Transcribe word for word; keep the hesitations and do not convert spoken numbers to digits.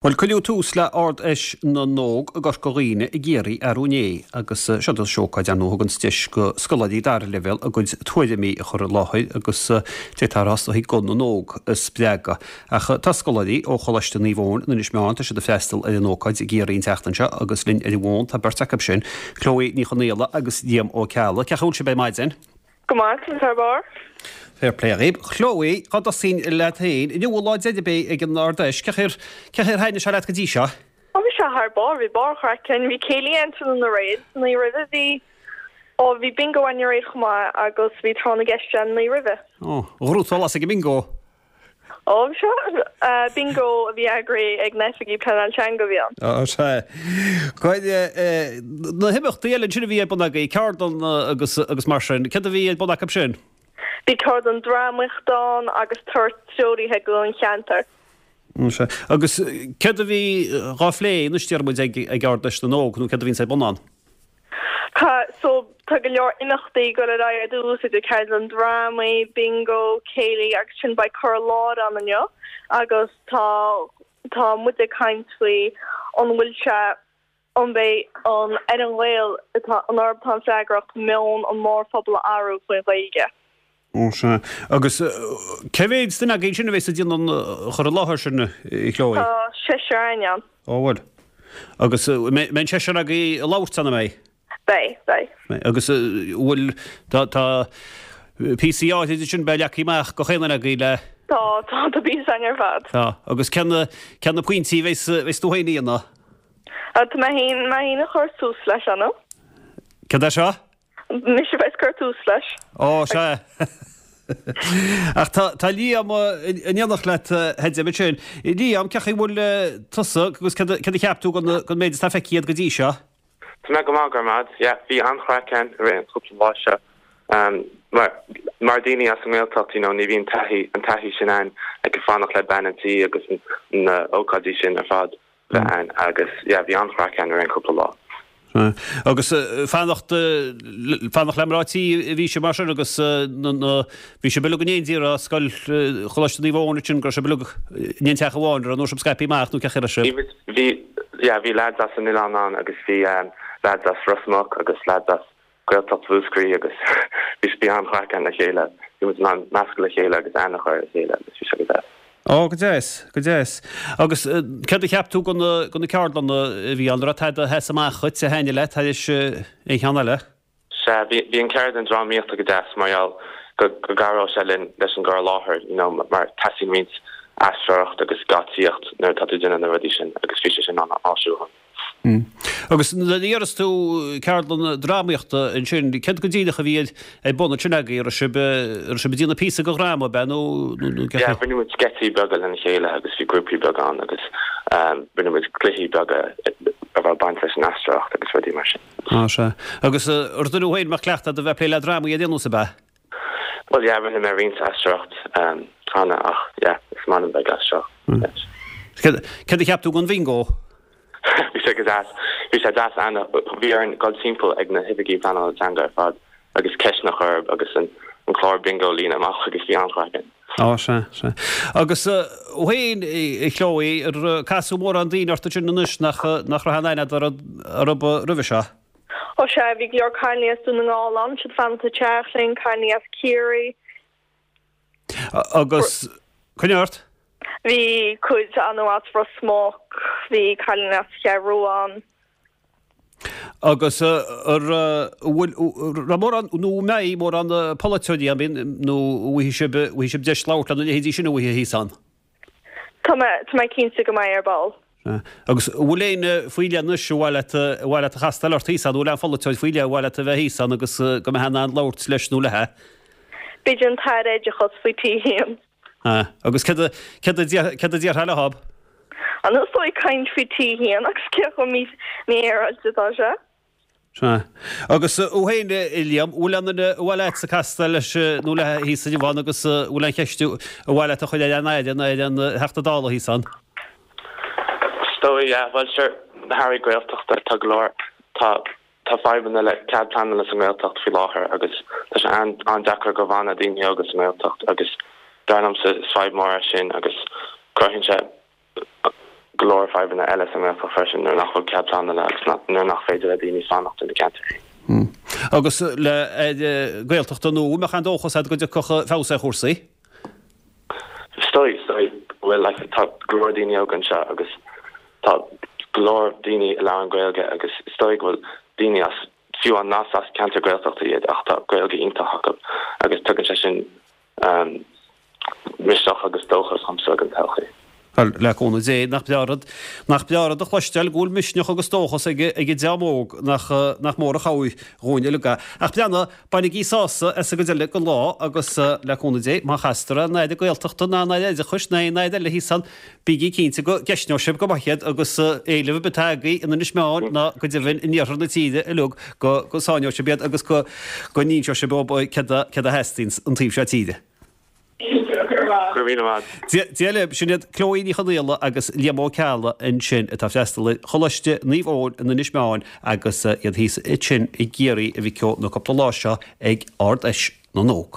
Bhuel, cuireadh tús le Ard-Fheis na nÓg i gCorca Dhuibhne i gCiarraí arú inné agus seo is ócáid ar ndóigh a thugann deis go scoláirí dara leibhéal a gcuid tuairimí a chur i láthair agus deirtear is dóigh guth na n-óg a spreagadh. Ach tá scoláirí ó Choláiste Naomh Eoin in Inis Meáin tá siad ag freastal ar an ócáid i gCiarraí an tseachtain seo agus linn ar an bhfón tá beirt acu sin, Chloe Ní Chonaola agus Liam Ó Ceallaigh. Cén chaoi a bhfuil sibh ar maidin? Go maith, thar barr. Fair play dhaoibh. Chloe, cá dtosóinn leat féin? Inniu an lá deiridh ab é ag an Ard-Fheis. Cén chaoi ar cén chaoi ar thaitnigh sé leat go dtí seo? Ó bhí sé thar barr, bhí barr craic ann, bhí céilí ann tráthnóna aréir, san oíche roimhe bhí, ó bhí bingo ann aréir chomh maith agus bhí tráth na gceist ann an oíche roimhe. Ó, an raibh tú ag an mbingo? Ó seo bingo a bhí eagraithe ag na oifigigh pleanála teanga a bhí ann. Ó sea. Na himeachtaí eile ansin a bhí ar bun agaibh, ceardlanna agus agus mar sin, céard a bhí ar bun acu sin? Bhí ceardlann drámaíochta ann agus turas treoraithe go an cheantar. Ó sea. Agus céard a bhí dhá phlé anois deir muid ag ag Ard-Fheis na nÓg nó céard a bhíonns ar bun ann? Tá so tá go leor imeachtaí ag dul ar aghaidh ar dtús idir ceardlann drámaí, bingo, céilí agus sin beidh cur i láthair ann inniu agus tá tá muid ag caint faoi an bhfuil sé an mbeidh an ar an Ghael atá an orthu atá an freagracht meon an mórphobal a athrú faoin Ghaeilge. Ó sea. Agus cé mhéad duine agaibh sin a bheas ag déanamh an chur i láthair sin, a Chloe? Tá seisear againn ann. Ó bhuel. Agus mbeidh an seisear agaibh ag labhairt ann, an mbeidh? Beidh, beidh. Beidh. Agus bhfuil, tá, tá píosaí áirid ansin beidh leagtha amach do chaon duine agaibh le. Tá, tá, tá píosa againn ar fad. Tá. Agus cén, cén na pointí a bheas, bheas tú féin a dhéanamh? Tá mé féin, mé féin ag cur tús leis, Anna. Céard é seo? Mise a bheas ag cur tús leis. Ó, sea. Ach tá, tá Liam in éineacht leat, a Fheidhm, ansin. Liam, cén chaoi a bhfuil tusa agus céard a, céard a cheap tú den, den méid atá feicthe agat go dtí seo? Tá mé go maith, go raibh maith agat. Yeah, bhí an-chraic ann i rith an chúpla lá seo. Um, mar, mar daoine as an nGaeltacht, you know, ní bhíonn taithí, an taithí sin ann ag fanacht le bean an tí agus na ócáidí sin ar fad bheith ann agus yeah, bhí an-chraic ann i rith an chúpla lá. Agus fanacht fanacht le mná tí a bhí sibh mar sin agus na bhí sibh uilig in éindí ar scoil Choláiste Naomh Eoin ansin go raibh sibh uilig in aon teach amháin nó raibh sibh scaipthe amach nó cén chaoi a raibh sibh. Bhí bhí yeah, bhí lads as an oileán ann agus bhí um, lads as Ros Muc agus lads as Gaeltacht Mhúscraí agus bhí bhí an-chraic ann le chéile. Bhí muid in ann meascadh le chéile agus aithne a chur ar a chéile agus bhí sé go deas. Ó, go deas, go deas. Agus céard a cheap tú de na de na ceardlanna a bhí ann, raibh tada a sheas amach dhuit a thaitnigh leat thar aon cheann eile? Sea, bhí bhí an ceardlann drámaíochta go deas mar gheall go go gcabhródh sé linn leis an gcur i láthair, you know, mar teastaíonn roinnt aisteoireacht agus geáitsíocht nuair atá tú ag déanamh na rudaí sin agus bhí sé sin an-áisiúil. Agus nuair a deireas tú ceardlann drámaíochta ansin, céard go díreach a bhí ar bun ansin agaibh? Raibh sibh, raibh sibh ag déanamh píosa de dhráma, ab ea, nó nó cé Yeah, rinne muid sceitsí beaga lena chéile agus bhí grúpaí beaga ann agus rinne muid cluichí beaga a raibh baint leis an aisteoireacht agus rudaí mar sin. Á, sea. Agus ar duine thú féin a mbeadh cleachtadh agat a bheith ag plé le drámaí ar aon nós, ab ea? Bhuel, yeah, rinne mé roinnt aisteoireacht cheana ach, yeah, is maith liom bheith ag aisteoireacht. Céard a cheap tú den bhingo? Bhí sé go deas. Bhí sé deas ann. Bhí orainn dul timpeall ag na hoifigí pleanála teanga ar fad agus ceisteanna a chur agus an an clár bingo a líonadh amach agus bhí an-chraic ann. Á, sea, sea. Agus thú féin, a Chloe, ar casadh mórán daoine ort ansin anois nach nach raibh aon aithne agat orthu roimhe seo? Ó sea, bhí go leor cailíní as Dún na nGall ann, siad ag fanacht sa teach linn, cailíní as Ciarraí. Agus, coinnigh ort. Bhí cuid acu as Ros Muc, bhí cailín as Cheathrú Rua ann. Agus ar bhfuil, raibh mórán, nó an mbeidh mórán polaiteoirí ann, bíonn, nó an bhfaighidh sibh, bhfaighidh sibh deis labhairt lena leithéidí sin a bhfaighidh thíos ann? Tá mé, tá mé cinnte go mbeidh ar ball. Agus an bhfuil éinne faoi leith anois ar mhaith leat, ar mhaith leat a chastáil ort thíos ann, an bhfuil aon pholaiteoir faoi leith ar mhaith leat a bheith thíos ann agus go mbeifeá in ann labhairt leis nó léi? B'fhéidir an tAire Oideachais faoi T a haon. Agus céard a, céard a, céard a déarfá leob? An is dóigh caint faoi T a haon agus cé chomh mí, mífhéaráilte atá sé. Sea. Agus thú féin, a Liam, bhfuil aon duine ar mhaith leatsa castáil leis nó léi thíos inniu ann agus bhfuil aon cheist ar mhaith leat a chur ar an Aire nó ar an Theachta Dála thíos ann? Is dóigh, yeah. Bhuel, sure, na hAirí Gaeltachta, tá go leor, tá, tá fadhbanna le cead pleanála sa nGaeltacht faoi láthair agus tá sé an-deacair go bhfanadh daoine óga sa nGaeltacht agus dar liomsa is fadhb mór é sin agus cruthaíonn sé go leor fadhbanna eile sa nGaeltacht freisin nuair nach bhfuil cead pleanála agus nuair nach féidir le daoine fanacht ina gceantar. Agus le Gaeltacht nua, an mbeadh aon dóchas agat go dtiocfadh feabhas ar chúrsaí? Is dóigh, is dóigh go bhfuil, like, tá go leor daoine óga anseo agus tá go leor daoine a labhrann Gaeilge agus is dóigh go bhfuil daoine as, fiú an nach as ceantar Gaeltachta iad ach tá Gaeilge iontach acu agus tugann sé sin misneach agus dóchas domsa don todhchaí. Bhuel, le cúnamh Dé, nach breá rud, nach breá rud a chloisteáil go bhfuil misneach agus dóchas ag ag an dream óg, nach, nach mór an chabhair dhúinn uilig é. Ach breathnaigh, bainigí sásamh as an gcuid eile den lá agus le cúnamh Dé, má chastar an Aire Gaeltachta ná an Aire Oideachais ná aon Aire eile thíos ann, bígí cinnte go gceistneoidh sibh go maith iad agus éileamh ar bith atá agaibh in Inis Meáin ná go deimhin in iarthar na tíre uilig go go sáinneoidh sibh iad agus go go n-inseoidh sibh dóibh céard a céard a theastaíonn an taobh seo tíre. Go raibh míle maith. Dia libh, sin iad Chloe Ní Chonaola agus Liam Ó Ceallaigh ansin atá ag freastal ar Choláiste Naomh Eoin in Inis Meáin agus iad thíos ansin i gCiarraí a mhic ó na cúpla lá seo ag Ard-Fheis na nÓg.